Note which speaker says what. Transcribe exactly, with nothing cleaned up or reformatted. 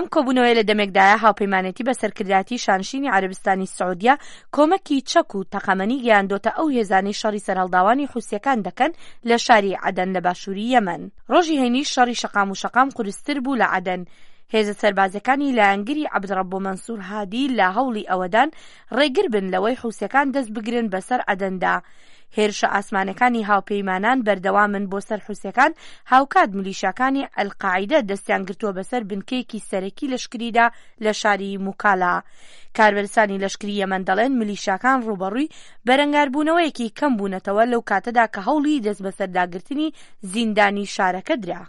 Speaker 1: ئەم کۆبوونەوەیە لە دەمێکدایە هاوپەیمانێتی بە سەرکردایەتی شانشینی عەرەبستانی سعودیە کۆمەکی چەک و تەقەمەنی گەیاندۆتە ئەو هێزانەی شەڕی سەرهەڵداوانی حوسیەکان دەکەن لە شاری عەدەن لە باشووری یەمەن. ڕۆژی هەینیش شەڕی شەقام و شەقام قورستر بوو لە عەدەن. هێزە سەربازیەکانی لایەنگری عەبدڕەبۆ مەنسور هادی لە هەوڵی ئەوەدان ڕێگر بن لەوەی حوسیەکان دەست بگرن بەسەر عەدەندا. هێرشە ئاسمانەکانی هاوپەیمانان بەردەوامن بۆ سەر حوسیەکان، هاوکات میلیشیاکانی ئەلقاعیدە دەستیان گرتووە بەسەر بنکەیەکی سەرەکی لەشکریدا لە شاری موکالا. کاربەرسانی لەشکری یەمەن دەڵێن میلیشیاکان ڕووبەڕووی بەرەنگاربوونەوەیەکی کەم بوونەتەوە لەو کاتەدا کە هەوڵی دەستبەسەرداگرتنی زیندانی شارەکە درا.